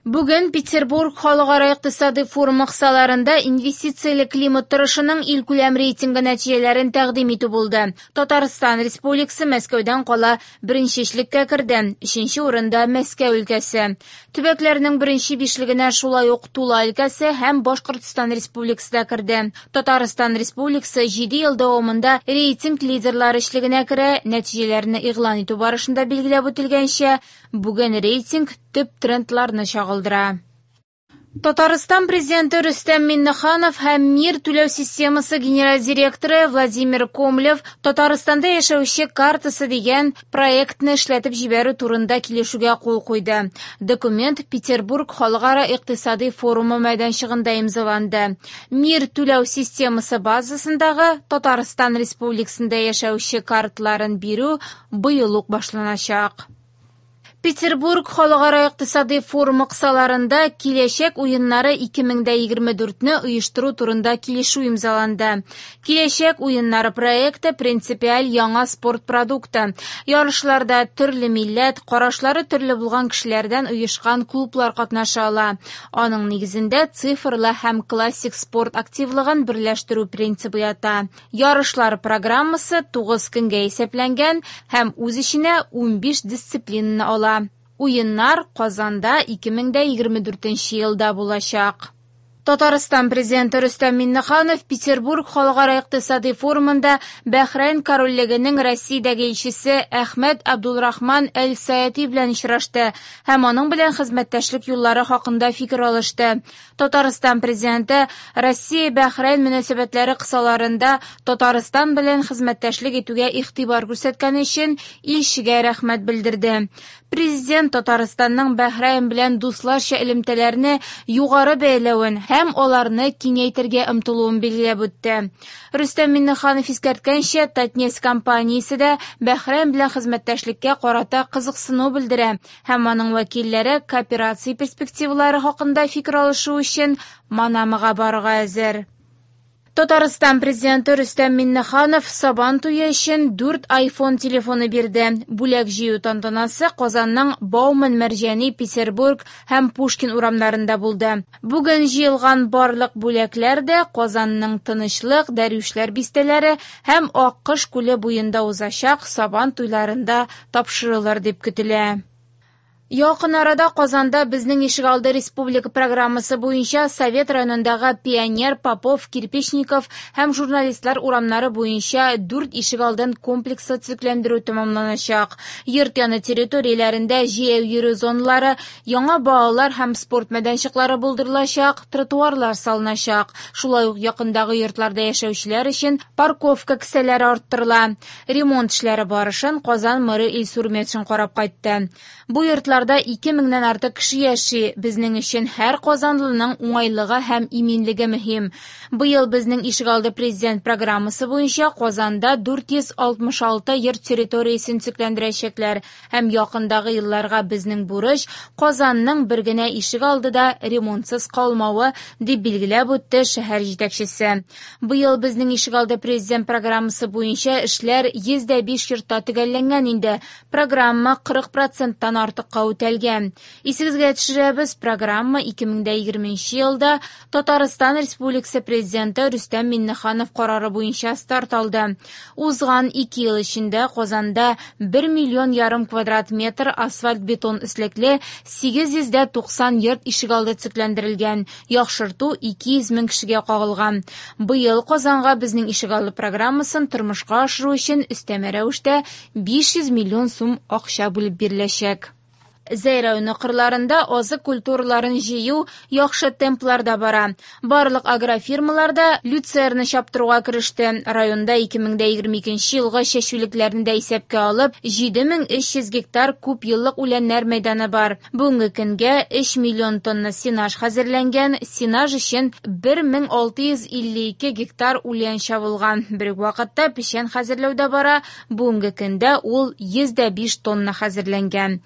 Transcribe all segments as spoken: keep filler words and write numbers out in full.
Бүген Петербург халыкара икътисади форумы кысаларында инвестицияле климат торышының илкүләм рейтингы нәтиҗәләрен тәкъдим итү булды. Татарстан Республикасы Мәскәүдән кала беренче өчлеккә керде. Өченче урында Мәскәү өлкәсе. Төбәкләрнең беренче бишлегенә шулай ук Тула өлкәсе һәм Башкортстан Республикасы да керде. Татарстан Республикасы җиде ел дәвамында рейтинг лидерлары өчлегенә керә. Нәтиҗәләрне игълан итү барышында билгеләп үтелгәнчә, бүген рейтинг төп трендларны чагылдыра. Татарстан президенты Рөстәм Миңнеханов һәм Мир түләү системасы генераль директоры Владимир Комлев Татарстанда яшәүче картасы дигән проектны эшләтеп җибәрү турында килешүгә кул куйды. Документ Петербург халыкара икътисади форумы мәйданчыгында имзаланды. Мир түләү системасы базасындагы Татарстан Республикасында яшәүче картларын бирү быел ук башланачак. Петербург халыкара икътисади форумы кысаларында Киләчәк уеннары ике мең дә егерме дүртне оештыру турында килешү имзаланды. Киләчәк уеннары проекты принципиаль яңа спорт продукты. Ярышларда төрле милләт, карашлары төрле булган кешеләрдән оешкан клублар катнаша ала. Аның нигезендә цифрлы һәм классик спорт активлыгын берләштерү принцибы ята. Ярышлар программасы тугыз көнгә исәпләнгән һәм үз эченә унбиш дисциплинаны ала. Уеннар Казанда ике мең дә егерме дүртенче елда булачак. Татарстан президенты Рөстәм Миңнеханов Петербург халыкара икътисади форумында Бәхрәйн корольлегенең Россиядәге илчесе Әхмәд Абдулрахман Әл-Саяти белән очрашты һәм аның белән хезмәттәшлек юллары хакында фикер алышты. Татарстан президенты Россия-Бәхрәйн мөнәсәбәтләре кысаларында Татарстан белән хезмәттәшлек итүгә игътибар күрсәткәне өчен илчегә рәхмәт белдерде. Президент Татарстанның Бәхрәйн белән дусларча элемтәләрне югары бәяләвен һәм аларны киңәйтергә омтылуын билгеләп үтте. Рөстәм Миңнеханов искәрткәнчә, Татнефть компаниясе дә Бәхрәйн белән хезмәттәшлеккә карата кызыксыну белдерә һәм аның вәкилләре кооперация перспективалары хакында фикер алышу өчен Манамага барырга әзер. Татарстан президенты Рөстәм Миңнеханов Сабан туе өчен дүрт iPhone телефоны бирде. Бүләк җыю тантанасы Казанның Бауман, Мәрҗани, Петербург һәм Пушкин урамнарында булды. Бүген җыелган барлык бүләкләр дә Казанның Тынычлык, Дәрвишләр бистәләре һәм Аккош күле буенда узачак Сабан туйларында тапшырылыр дип көтелә. Якын арада Казанда Безнең ишегалды республика программасы буенча Совет районындагы Пионер, Попов, Кирпичников һәм Журналистлар урамнары буенча дүрт ишегалдын комплекслы төзекләндерү тәмамланачак. Йорт яны территорияләрендә җәяү йөрү зоналары, яңа балалар һәм спорт мәйданчыклары булдырылачак, тротуарлар салыначак. Шулай ук якындагы йортларда яшәүчеләр өчен парковка кесәләре арттырыла. Ремонт эшләре барышын Казан мэры Илсур Метшин карап кайтты. Бу йортлар ике меңнән артык кеше яши. Безнең өчен һәр казанлының уңайлыгы һәм иминлеге мөһим. Быел Безнең ишегалды президент программасы буенча Казанда дүрт йөз алтмыш алты йорт территориясен төзекләндерәчәкләр һәм якындагы елларга безнең бурыч Казанның бер генә ишегалды да ремонтсыз калмавы, дип билгеләп үтте шәһәр җитәкчесе. Быел Безнең ишегалды президент программасы буенча эшләр йөз дә биш йортта төгәлләнгән инде. Программа кырык проценттан артыкка үтәлгән. Исегезгә төшерәбез, программа ике мең дә егерменче елда Татарстан Республикасы президенты Рөстәм Миңнеханов карары буенча старт алды. Узган ике ел эчендә Казанда бер миллион ярым квадрат метр асфальт бетон өслекле сигез йөз дә туксан йорт ишегалды төзекләндерелгән. Яхшырту ике йөз мең кешегә кагылган. Быел Казанга Безнең ишегалды программасын тормышка ашыру өчен өстәмә рәвештә биш йөз миллион сум акча бүлеп биреләчәк. Зәй районы кырларында азык культураларын җыю яхшы темпларда бара. Барлык агрофирмаларда люцерна чаптыруга кереште. Районда ике мең дә егерме икенче елгы чәчүлекләрне дә исәпкә алып, җиде мең өч йөз гектар күп еллык үләннәр мәйданы бар. Бүгенге көнгә өч миллион тонна сенаж хәзерләнгән, сенаж өчен бер мең алты йөз илле ике гектар үлән чабылган. Бер үк вакытта печән хәзерләү дә бара. Бүгенге көндә ул йөз дә биш тонна хәзерләнгән.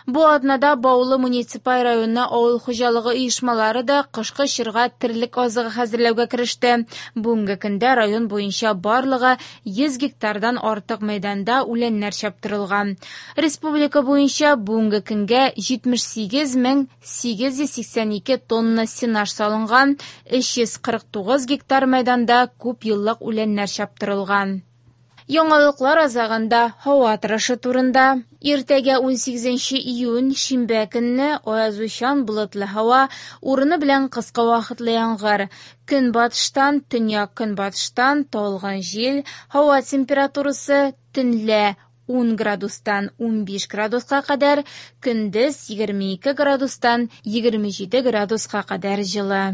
Бу атнада Баулы муниципаль районы авыл хуҗалыгы оешмалары да кышкы чорга терлек азыгы хәзерләүгә кереште. Бүгенге көндә район буенча барлыгы йөз гектардан артык мәйданда үләннәр чаптырылган. Республика буенча бүгенге көнгә җитмеш сигез мең сигез йөз сиксән ике тонна сенаж салынган, өч йөз кырык тугыз гектар мәйданда күп еллык үләннәр чаптырылган. Яңалыклар азагында һава торышы турында. Иртәгә ун сигезенче июнь, шимбә көнне аязучан болытлы һава, урыны белән кыска вакытлы яңгыр. Көнбатыштан, төньяк-көнбатыштан талгын җил, һава температурасы төнлә ун градустан ун биш градуска кадәр, көндез егерме ике градустан егерме җиде градуска кадәр җылы.